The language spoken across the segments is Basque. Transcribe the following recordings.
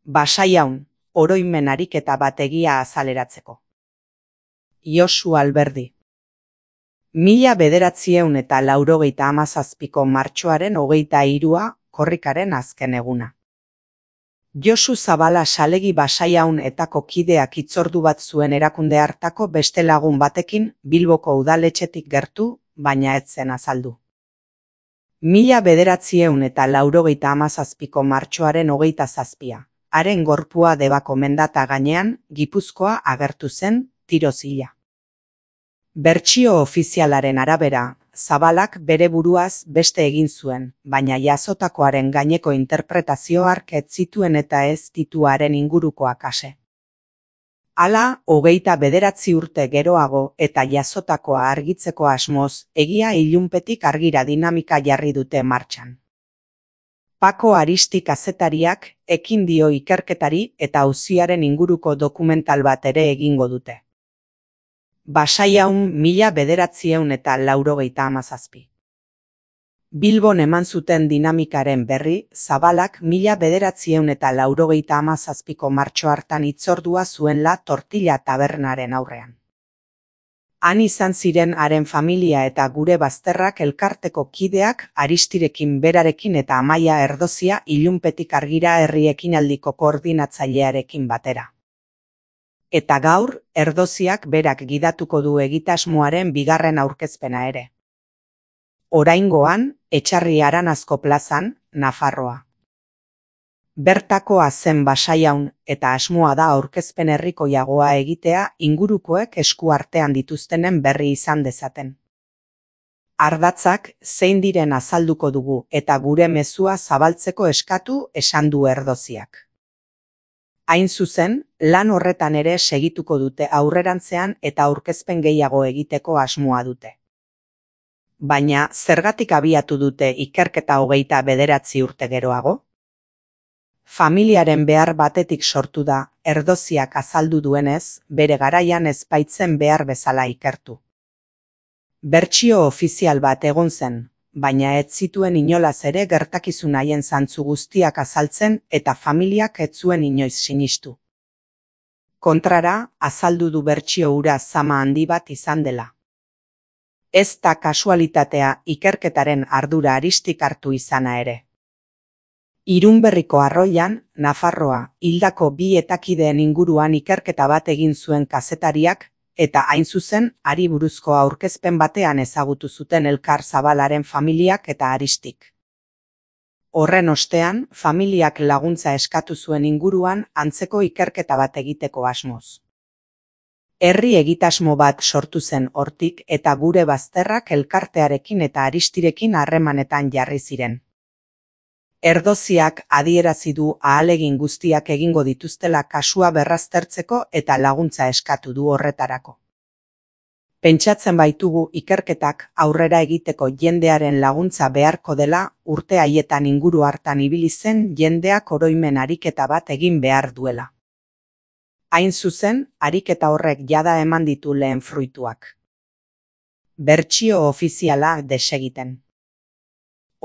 Basaiaun, oroimen ariketa bat egia azaleratzeko. Josu Alberdi. 1997ko martxoaren 23a korrikaren azken eguna. Josu Zabala salegi Basaiaun etako kideak hitzordu bat zuen erakunde hartako beste lagun batekin Bilboko udaletxetik gertu, baina ez zen azaldu. 1997ko martxoaren 27a, haren gorpua Debako mendata gainean, Gipuzkoa agertu zen, tiroz hila. Bertsio ofizialaren arabera, Zabalak bere buruaz beste egin zuen, baina jazotakoaren gaineko interpretazio hark ez zituen eta ez ditu haren ingurukoak ase. Hala, 29 urte geroago eta jazotakoa argitzeko asmoz, egia ilunpetik argira dinamika jarri dute martxan. Pako Aristi kazetariak ekin dio ikerketari eta auziaren inguruko dokumental bat ere egingo dute. Basaiaun 1997. Bilbon eman zuten dinamikaren berri, Zabalak 1997ko martxo hartan hitzordua zuenla Tortilla tabernaren aurrean. Han izan ziren haren familia eta gure bazterrak elkarteko kideak Aristirekin berarekin eta Amaia Erdozia ilunpetik argira herri ekinaldiko koordinatzailearekin batera. Eta gaur, Erdoziak berak gidatuko du egitasmoaren bigarren aurkezpena ere. Oraingoan, Etxarri Aranazko plazan, Nafarroa. Bertakoa zen Basaiaun eta asmoa da aurkezpen herrikoiagoa egitea ingurukoek esku artean dituztenen berri izan dezaten. Ardatzak zein diren azalduko dugu eta gure mezua zabaltzeko eskatu esan du Erdoziak. Hain zuzen, lan horretan ere segituko dute aurrerantzean eta aurkezpen gehiago egiteko asmoa dute. Baina, zergatik abiatu dute ikerketa 29 urte geroago? Familiaren behar batetik sortu da, Erdoziak azaldu duenez, bere garaian ez baitzen behar bezala ikertu. Bertsio ofizial bat egon zen, baina ez zituen inolaz ere gertakizun haien zantzu guztiak azaltzen eta familiak ez zuen inoiz sinistu. Kontrara, azaldu du bertsio hura zama handi bat izan dela. Ez da kasualitatea ikerketaren ardura Aristik hartu izana ere. Irunberriko arroian, Nafarroa, hildako 2 etakideen inguruan ikerketa bat egin zuen kazetariak, eta hain zuzen, hari buruzko aurkezpen batean ezagutu zuten elkar Zabalaren familiak eta Aristik. Horren ostean, familiak laguntza eskatu zuen inguruan antzeko ikerketa bat egiteko asmoz. Herri egitasmo bat sortu zen hortik eta gure bazterrak elkartearekin eta Aristirekin harremanetan jarri ziren. Erdoziak adierazi du ahalegin guztiak egingo dituztela kasua berraztertzeko eta laguntza eskatu du horretarako. Pentsatzen baitugu ikerketak aurrera egiteko jendearen laguntza beharko dela urte haietan inguru hartan ibili zen jendeak oroimen ariketa bat egin behar duela. Hain zuzen, ariketa horrek jada eman ditu lehen fruituak. Bertsio ofiziala desegiten.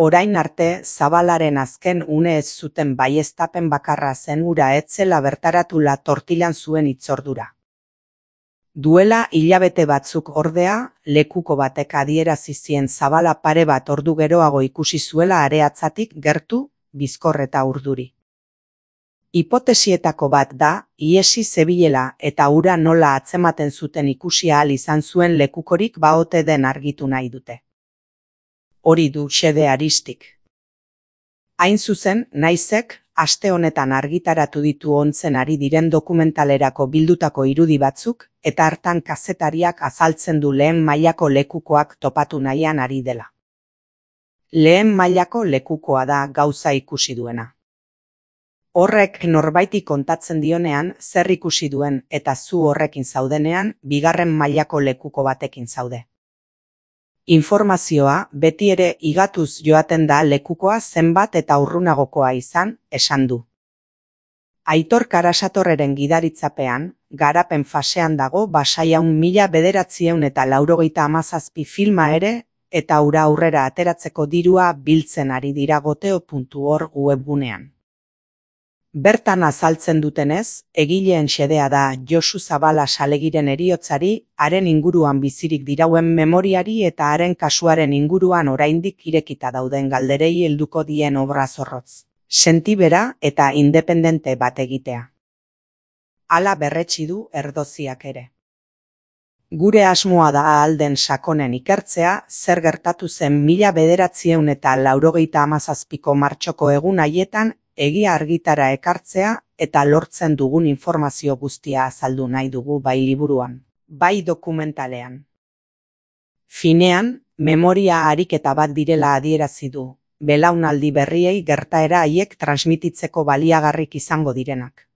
Orain arte, Zabalaren azken une ez zuten baieztapen bakarra zen hura ez zela bertaratula Tortillan zuen hitzordura. Duela hilabete batzuk ordea, lekuko batek adierazi zien Zabala pare bat ordu geroago ikusi zuela areatzatik gertu, bizkor eta urduri. Hipotesietako bat da, ihesi zebilela eta hura nola atzematen zuten ikusi ahal izan zuen lekukorik baote den argitu nahi dute. Hori du xede Aristik. Hain zuzen, naizek, aste honetan argitaratu ditu ontzen ari diren dokumentalerako bildutako irudi batzuk, eta hartan kazetariak azaltzen du lehen mailako lekukoak topatu nahian ari dela. Lehen mailako lekukoa da gauza ikusi duena. Horrek norbaiti kontatzen dionean zer ikusi duen eta zu horrekin zaudenean bigarren mailako lekuko batekin zaude. Informazioa beti ere igatuz joaten da lekukoa zenbat eta urrunagokoa izan, esan du. Aitor Karasatorreren gidaritzapean, garapen fasean dago Basaiaun 1997 filma ere, eta hura aurrera ateratzeko dirua biltzen ari dira goteo.org webgunean. Bertan azaltzen dutenez, egileen xedea da Josu Zabala Salegiren heriotzari, haren inguruan bizirik dirauen memoriari eta haren kasuaren inguruan oraindik irekita dauden galderei helduko dien obra zorrotz, sentibera eta independente bat egitea. Hala berretsi du Erdoziak ere. Gure asmoa da ahal den sakonen ikertzea, zer gertatu zen 1997ko martxoko egun haietan egia argitara ekartzea eta lortzen dugun informazio guztia azaldu nahi dugu bai liburuan, bai dokumentalean. Finean, memoria ariketa bat direla adierazi du, belaunaldi berriei gertaera haiek transmititzeko baliagarrik izango direnak.